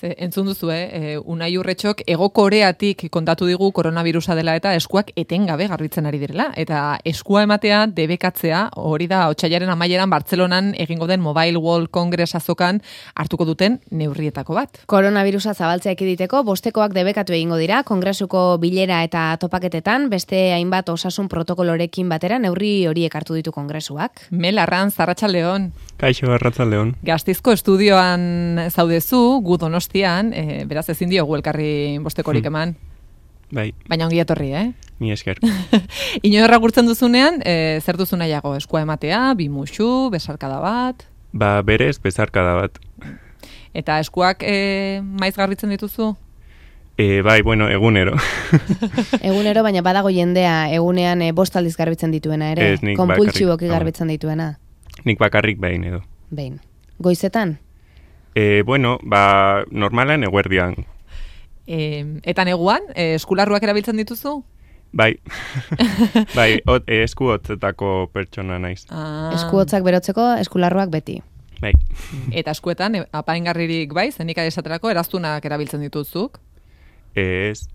Entzun duzu, Unai Urretxok Hego Koreatik kontatu digu koronavirusa dela eta eskuak etengabe garbitzen ari direla. Eta eskua ematea, debekatzea, hori da otsailaren amaieran Bartzelonan egingo den Mobile World Congress azokan hartuko duten neurrietako bat. Koronavirusa zabaltzea ekiditeko, bostekoak debekatu egingo dira, kongresuko bilera eta topaketetan, beste hainbat osasun protokolorekin batera neurri horiek hartu ditu kongresuak. Mel Arranz, arratsaldeon. Kaixo, arratsaldeon. Gasteizko estudioan zaudezu, gu Donostian, beraz ezin diogu elkarri bostekorik eman. Bai. Baina ongi etorri, Ni esker. Inoerra gurtzen duzunean, zer duzu nahiago, eskua ematea, bi musu, besarkada bat? Berez, besarkada bat. Eta eskuak maiz garbitzen dituzu? Bai, bueno, egunero. Egunero, baina badago jendea egunean bost aldiz garbitzen dituena ere, konpultsiboki garbitzen dituena. Nik bakarrik behin edo. Behin. Goizetan? Bueno, normalan eguerdian. Eta neguan, eskularruak erabiltzen dituzu? Bai. Bai, esku hotzetako pertsona naiz. Esku hotzak berotzeko, eskularruak beti. Bai. Eta eskuetan, apaingarririk bai, zenik esaterako eraztunak erabiltzen dituzuk? Ez.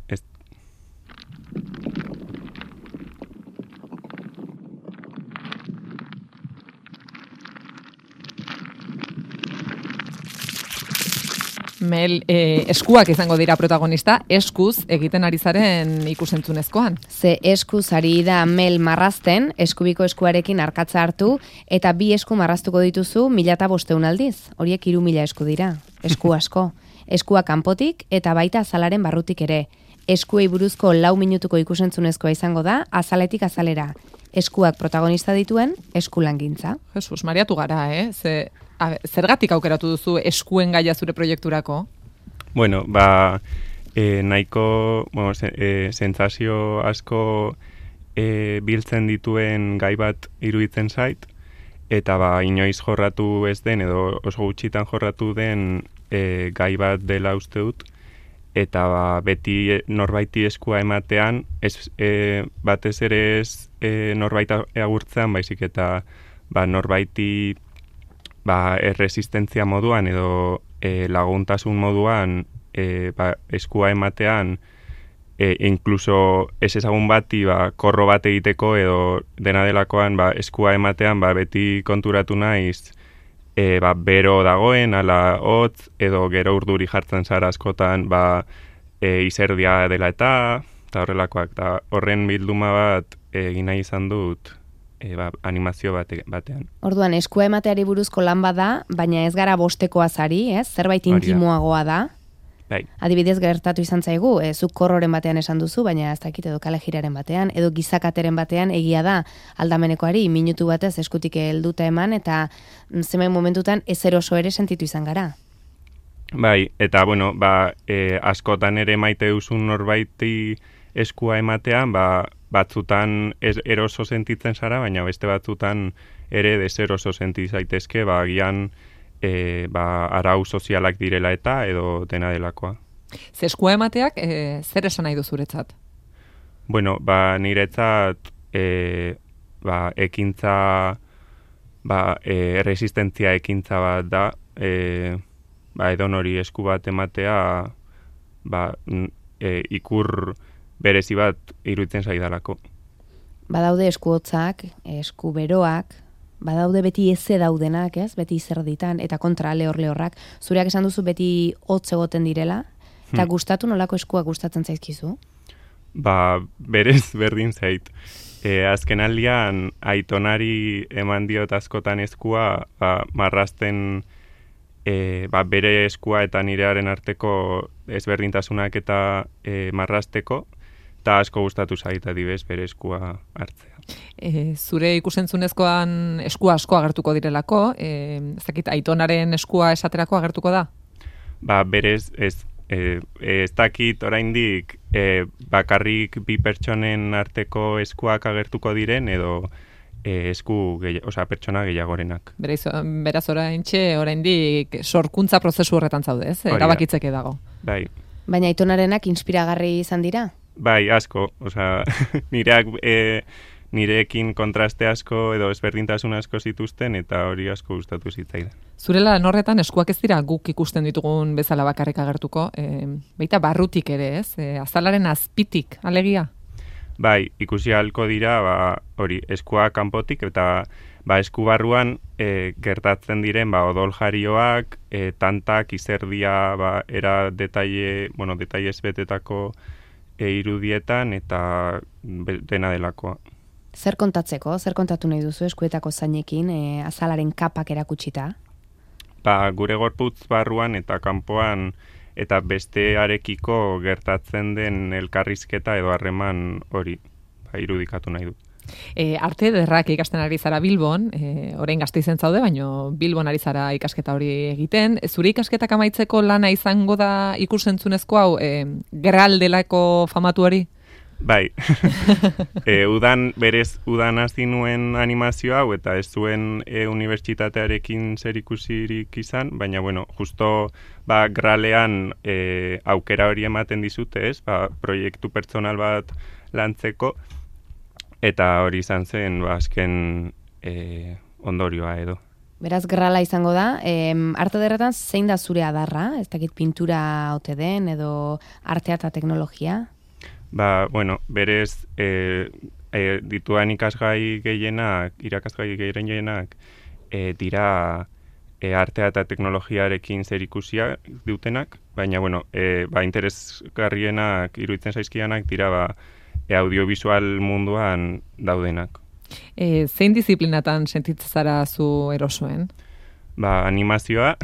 Mel, eskuak izango dira protagonista, eskuz egiten ari zaren ikusentzunezkoan. Ze eskuz ari da Mel marrazten, eskubiko eskuarekin arkatza hartu, eta bi esku marraztuko dituzu 1500 aldiz. Horiek 3000 esku dira, esku asko. Eskua kanpotik eta baita azalaren barrutik ere. Eskuei buruzko 4 minutuko ikusentzunezkoa izango da, azaletik azalera. Eskuak protagonista dituen, eskulangintza. Jesus, mariatu gara, Zergatik aukeratu duzu eskuen gaia zure proiekturako? Bueno, nahiko sentsazio asko biltzen dituen gai bat iruditzen zait, eta inoiz jorratu ez den, edo oso gutxitan jorratu den gai bat dela uste dut, eta beti norbaiti eskua ematean, batez ere ez norbait agurtzean, baizik eta norbaiti erresistentzia moduan edo laguntasun moduan eskua ematean inkluso ez ezagun bati korro bat egiteko edo dena delakoan eskua ematean beti konturatu naiz bero dagoen, ala hotz edo gero urduri jartzen zara askotan izerdia dela eta horrelakoak. Eta horren bilduma bat egin nahi izan dut animazio batean. Orduan, eskua emateari buruzko lan bada, baina ez gara bostekoaz ari, zerbait intimoagoa da. Bai. Adibidez gertatu izan zaigu, zuk korroren batean esan duzu, baina ez dakit edo kalejiraren batean, edo gizakateren batean egia da aldamenekoari minutu batez eskutik helduta eman, eta zenbait momentutan ezer oso ere sentitu izan gara. Bai, eta bueno, askotan ere maite duzun norbaiti eskua ematean, batzutan eroso sentitzen zara, baina beste batzutan ere deseroso senti zaitezke, agian arau sozialak direla eta edo dena delakoa. Ze eskua emateak zer esan nahi du zuretzat? Bueno, niretzat ekintza, resistentzia ekintza bat da, edonori esku bat ematea, ikur berezi bat iruditzen zaidalako. Badaude esku hotzak, esku beroak, badaude beti eze daudenak, beti zerditan, eta kontra lehorrak. Zureak esan duzu beti hotz egoten direla, eta gustatu nolako eskuak gustatzen zaizkizu? Berez berdin zait. Azken aldian, aitonari eman diot askotan eskua, marrazten bere eskua eta nirearen arteko ezberdintasunak eta marrazteko, eta asko gustatu zait adibez bere eskua hartzea. Zure ikusentzunezkoan eskua asko agertuko direlako, ez aitonaren eskua esaterako agertuko da? Berez ez dakit oraindik bakarrik bi pertsonen arteko eskuak agertuko diren edo pertsona gehiagorenak. Beraz oraindik sorkuntza prozesu horretan zaude, ez? Erabakitzeke dago. Bai. Baina aitonarenak inspiragarri izan dira? Bai, asko. Nireak nirekin kontraste asko edo ezberdintasun asko zituzten, eta hori asko gustatu zitzaidan. Zure lan horretan eskuak ez dira guk ikusten ditugun bezala bakarrik agertuko, baita barrutik ere, ez? Azalaren azpitik, alegia? Bai, ikusi ahalko dira, hori, eskua kanpotik, eta esku barruan gertatzen diren odol jarioak, tantak, izerdia, era detailez betetako irudietan, eta dena delakoa. Zer kontatzeko, zer kontatu nahi duzu eskuetako zainekin, azalaren kapak erakutsita? Gure gorputz barruan eta kanpoan eta bestearekiko gertatzen den elkarrizketa edo harreman hori irudikatu nahi dut. Arte ederrak ikasten ari zara Bilbon, orain Gasteizen zaude, baino Bilbon ari zara ikasketa hori egiten. Zure ikasketak amaitzeko lana izango da ikusentzunezko hau, Gral delako famatu hori? Bai, udan hasi nuen animazio hau, eta ez zuen unibertsitatearekin zer ikusirik izan, baina, justo Gralean aukera hori ematen dizute, ez? Proiektu pertsonal bat lantzeko, eta hori izan zen, azken ondorioa edo. Beraz, Grala izango da, arte ederretan zein da zure adarra? Ez dakit pintura ote den, edo artea eta teknologia? Berez dituan ikasgai gehienak, irakasgai gehienak, dira artea eta teknologiarekin zer ikusia dutenak, baina, interesgarrienak, iruditzen zaizkianak, dira audiovisual munduan daudenak. Zein disiplinatan sentitzen zara zu erosoen? Animazioa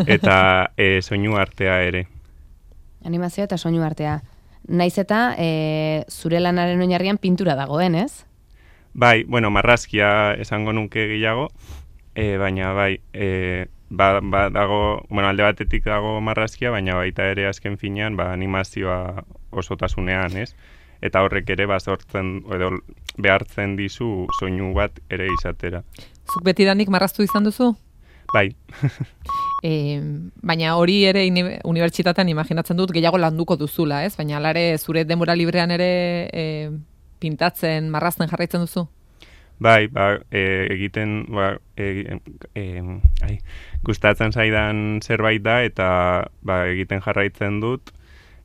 eta soinu artea ere. Animazioa eta soinu artea. Naiz eta zure lanaren oinarrian pintura dagoen, ez? Bai, marrazkia esango nuke gehiago, baina dago, alde batetik dago marrazkia, baina baita ere azken finean animazioa osotasunean, ez? Eta horrek ere sortzen edo behartzen dizu soinu bat ere izatera. Zuk betidanik marraztu izan duzu? Bai. Baina hori ere unibertsitatean imaginatzen dut gehiago landuko duzula, ez? Baina alare zure denbora librean ere pintatzen, marrazten jarraitzen duzu? Bai, egiten, gustatzen zaidan zerbait da, eta egiten jarraitzen dut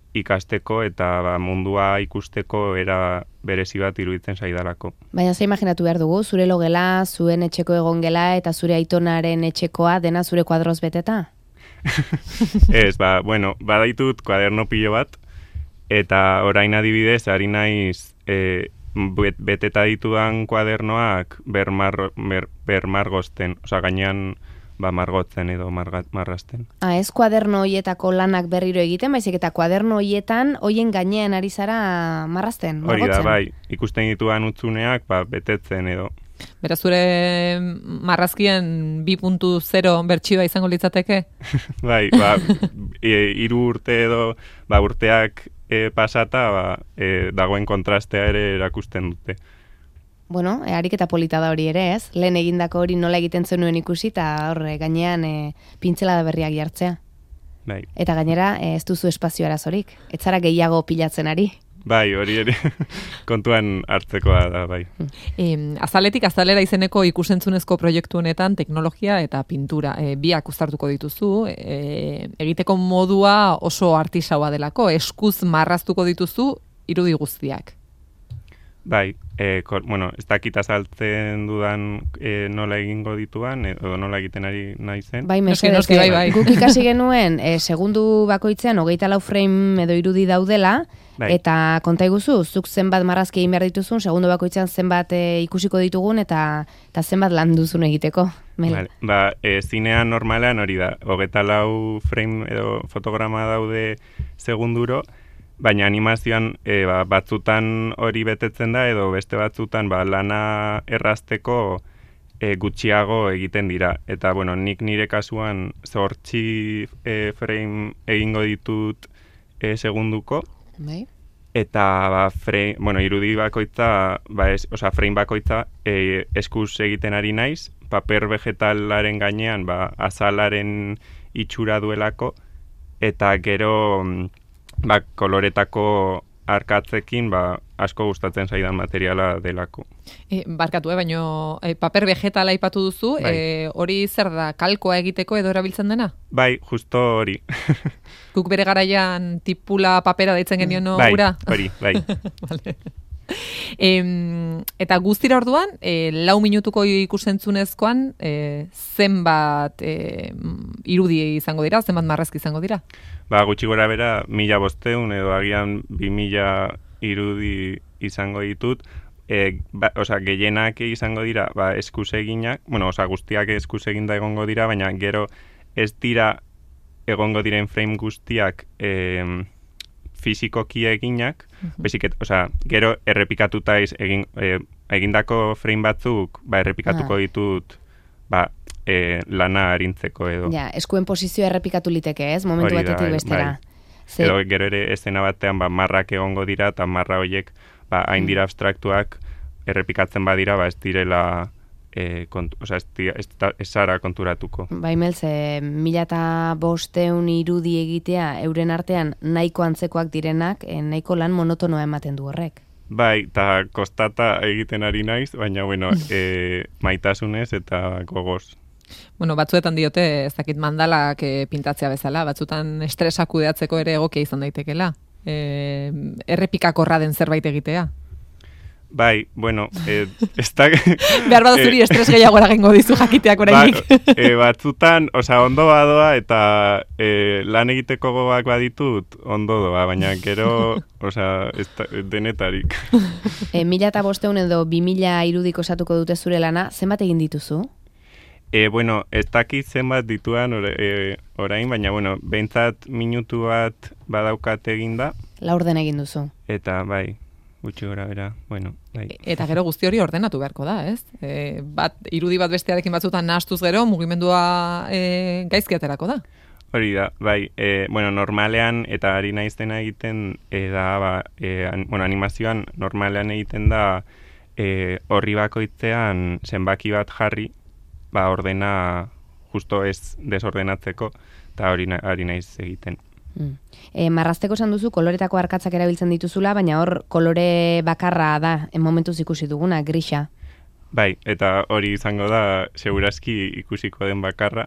ikasteko eta mundua ikusteko era berezi bat iruditzen zaidalako. Baina ze imaginatu behar dugu, zure logela, zuen etxeko egongela eta zure aitonaren etxekoa dena zure kuadroz beteta? Ez, badaitut kuaderno pilo bat, eta orain adibidez, ari naiz beteta ditudan kuadernoak bermargozten, gainean margotzen edo marrazten. Ez kuaderno hoietako lanak berriro egiten, baizik eta kuaderno hoietan hoien gainean ari zara marrazten, margotzen? Hori da, bai, ikusten dituan utzuneak betetzen edo. Beraz, zure marrazkien 2.0 bertsioa izango litzateke? Bai, 3 urte edo urteak pasata dagoen kontrastea ere erakusten dute. Ariketa polita da hori ere, ez? Lehen egindako hori nola egiten zenuen ikusi, eta horre gainean pintzelada berriak jartzea. Bai. Eta gainera, ez duzu espazio arazorik. Ez zara gehiago pilatzen ari. Bai, hori ere kontuan hartzekoa da, bai. Azaletik azalera izeneko ikusentzunezko proiektu honetan teknologia eta pintura biak uztartuko dituzu, egiteko modua oso artisaua delako, eskuz marraztuko dituzu irudi guztiak. Bai, ez dakit azaltzen dudan nola egingo dituan, edo nola egiten ari naizen. Bai, mesedez, bai. Guk ikasi genuen, segundu bakoitzean 24 frame edo irudi daudela, bai. Eta konta iguzu, zuk zenbat marrazki egin behar dituzun, segundu bakoitzean zenbat ikusiko ditugun, eta zenbat lan duzun egiteko. Vale. Zinean normalean hori da, 24 frame edo fotograma daude segunduro, baina animazioan batzutan hori betetzen da, edo beste batzutan lana errazteko gutxiago egiten dira. Eta, nik nire kasuan 8 frame egingo ditut segunduko. Bai. Eta, irudi bakoitza, frame bakoitza eskuz egiten ari naiz, paper vegetalaren gainean, azalaren itxura duelako, eta gero koloretako arkatzekin asko gustatzen zaidan materiala delako. Barkatu, baino paper vegetala aipatu duzu, hori zer da, kalkoa egiteko edo erabiltzen dena? Bai, justo hori. Guk bere garaian tipula papera deitzen genioen ura? Bai, bai. Vale. Eta guztira orduan, 4 minutuko ikusentzunezkoan, zenbat irudi izango dira, zenbat marrazki izango dira? Gutxi gora bera, 1500 edo agian 2000 irudi izango ditut. Gehienak izango dira eskuseginak, guztiak eskuseginda egongo dira, baina gero ez dira egongo diren frame guztiak fizikoki eginak, gero errepikatuta egindako frame batzuk errepikatuko ditut lana arintzeko edo. Ja, eskuen posizioa errepikatu liteke, ez? Momentu batetik bestera. Edo gero ere escena batean marrak egongo dira, eta marra horiek hain dira abstraktuak errepikatzen badira, ez direla ez zara konturatuko. Melz, 1500 irudi egitea euren artean nahiko antzekoak direnak, nahiko lan monotonoa ematen du horrek. Bai, eta kostata egiten ari naiz, baina, maitasunez eta gogoz. Batzuetan diote, ez dakit mandalak pintatzea bezala, batzutan estresak kudeatzeko ere egokia izan daitekela. Errepikakorra den zerbait egitea. Bai, ez da... Behar baduzuri estres gehiago eragingo dizu jakiteak orainik. Batzutan, ondo badoa eta lan egiteko gogoak baditut, ondo doa, baina gero, denetarik. 1500 edo 2000 irudik osatuko dute zure lana, zenbat egin dituzu? Ez dakit zenbat dituan orain, baina, behintzat minutu bat badaukat eginda. Laurden egin duzu. Eta, bai, gutxi gora bera, bai. Eta gero guzti hori ordenatu beharko da, ez? Irudi bat bestearekin batzutan nahastuz gero, mugimendua gaizki aterako da. Hori da, bai, normalean, eta ari naiztena egiten, animazioan normalean egiten da horri bakoitzean zenbaki bat jarri, ordena justo ez desordenatzeko, eta hori ari naiz egiten. Marrazteko esan duzu, koloretako arkatzak erabiltzen dituzula, baina hor kolore bakarra da, momentuz ikusi duguna, grisa. Bai, eta hori izango da, segurazki ikusiko den bakarra.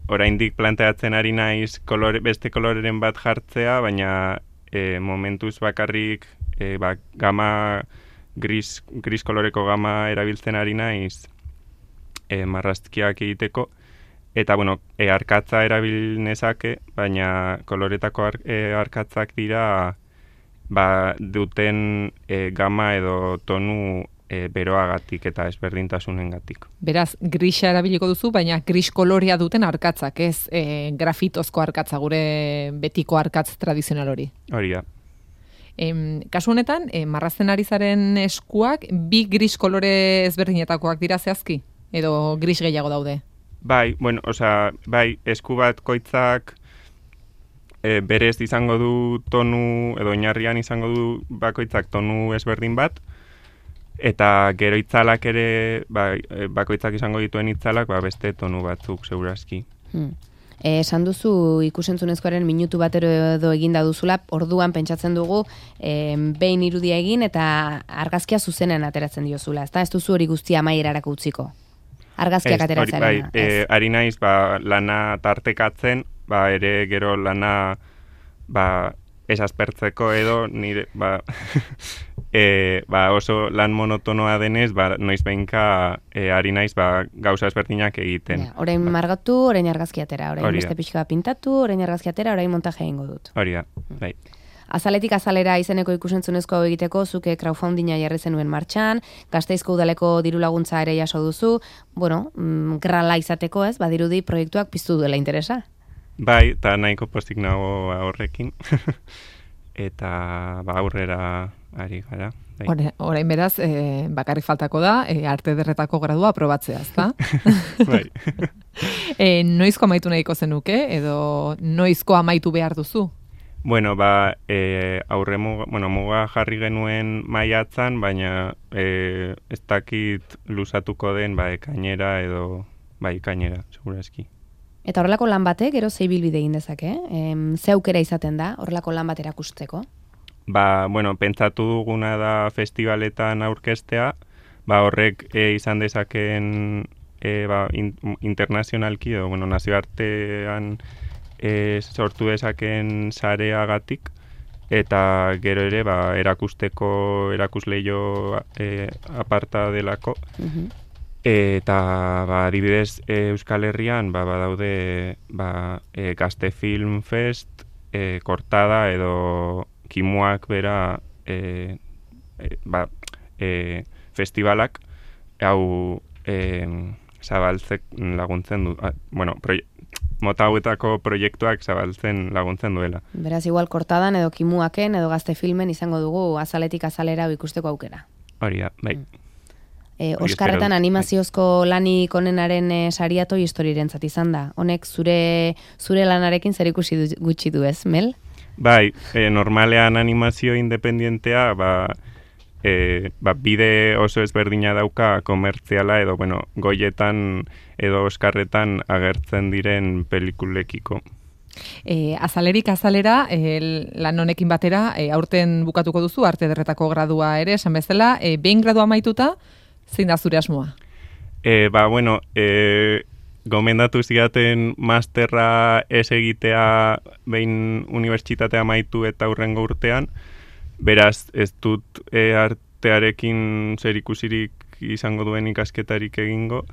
Oraindik planteatzen ari naiz beste koloreren bat jartzea, baina momentuz bakarrik gama, gris koloreko gama erabiltzen ari naiz marrazkiak egiteko. Eta, arkatza erabil nezake, baina koloretako arkatzak dira duten gama edo tonu beroagatik eta ezberdintasunengatik. Beraz, grisa erabiliko duzu, baina gris kolorea duten arkatzak, ez grafitozko arkatza, gure betiko arkatz tradizional hori. Hori da. Kasu honetan, marrazten ari zaren eskuak, 2 gris kolore ezberdinetakoak dira zehazki? Edo gris gehiago daude? Bai, esku bat koitzak berez izango du tonu, edo oinarrian izango du bakoitzak tonu ezberdin bat, eta gero itzalak ere, bakoitzak izango dituen itzalak, beste tonu batzuk, segurazki. Esan duzu ikusentzunezkoaren minutu batero edo eginda duzula, orduan pentsatzen dugu behin irudia egin eta argazkia zuzenean ateratzen diozula, ez duzu hori guztia amaierarako utziko? Argazkiak ateratzen. Ari naiz, lana tartekatzen, ere gero lana ez aspertzeko edo, nire, oso lan monotonoa denez, noiz behinka ari naiz gauza ezberdinak egiten. Orain margatu, orain argazki atera, orain beste pixka pintatu, orain argazki atera, orain montaje egingo dut. Hori da, bai. Azaletik azalera izeneko ikusentzunezko egiteko, zuke crowdfundinga jarri zenuen martxan, Gasteizko udaleko diru laguntza ere jaso duzu, grala izateko, ez, badirudi proiektuak piztu duela interesa. Bai, eta nahiko postik nago horrekin, eta aurrera ari gara. Orain beraz, bakarrik faltako da, arte ederretako gradua aprobatzea, ezta? Bai. Noizko amaitu nahiko zenuke, edo noizko amaitu behar duzu? Muga jarri genuen maiatzan, baina ez dakit luzatuko den ekainera edo ekainera, segurazki. Eta horrelako lan batek, gero zeibilbide egin dezake? Ze aukera izaten da, horrelako lan bat erakusteko? pentsatu duguna da festivaletan aurkeztea, horrek izan dezakeen internazionalki edo, nazioartean sortu dezakeen sareagatik, eta gero ere erakusteko erakusleio aparta delako. Eta adibidez Euskal Herrian badaude Gazte Film Fest, Kortada edo Kimuak bera festivalak, hau zabaltzek laguntzen du, mota hauetako proiektuak zabaltzen laguntzen duela. Beraz, igual Kortadan edo Kimuaken edo Gazte Filmen izango dugu azaletik azalera ikusteko aukera. Hori da, bai. Oskarretan animaziozko lanik onenaren saria Toy Storyrentzat izan da. Honek zure lanarekin zer ikusi gutxi du ez, Mel? Bai, normalean animazio independentea, bide oso ezberdina dauka komertziala edo, goietan edo Oskarretan agertzen diren pelikulekiko. Azalerik azalera, lan honekin batera, aurten bukatuko duzu, arte ederretako gradua ere, esan bezala, behin gradua amaituta, zein da zure asmoa? Gomendatu zidaten masterra ez egitea behin unibertsitatea amaitu eta hurrengo urtean, beraz ez dut artearekin zerikusirik izango duen ikasketarik egingo,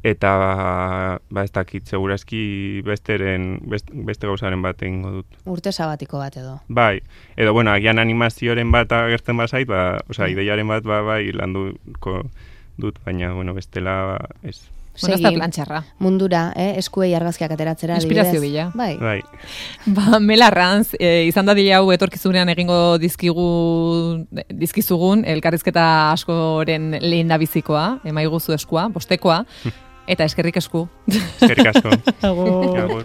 eta ez dakit, segurazki beste gauzaren bat egingo dut. Urte sabatiko bat edo. Bai, edo agian animazioaren bat agertzen bazait, ideiaren bat landuko dut, baina bestela ez. Ez da plantxarra. Mundura, eskuei argazkiak ateratzera. Inspirazio bila. Bai. Mel Arranz, izan da dira hau etorkizunean egingo dizkizugun, elkarrizketa askoren lehen da bizikoa, emaiguzu eskua, bostekoa, eta eskerrik esku. Eskerrik asko. Agur.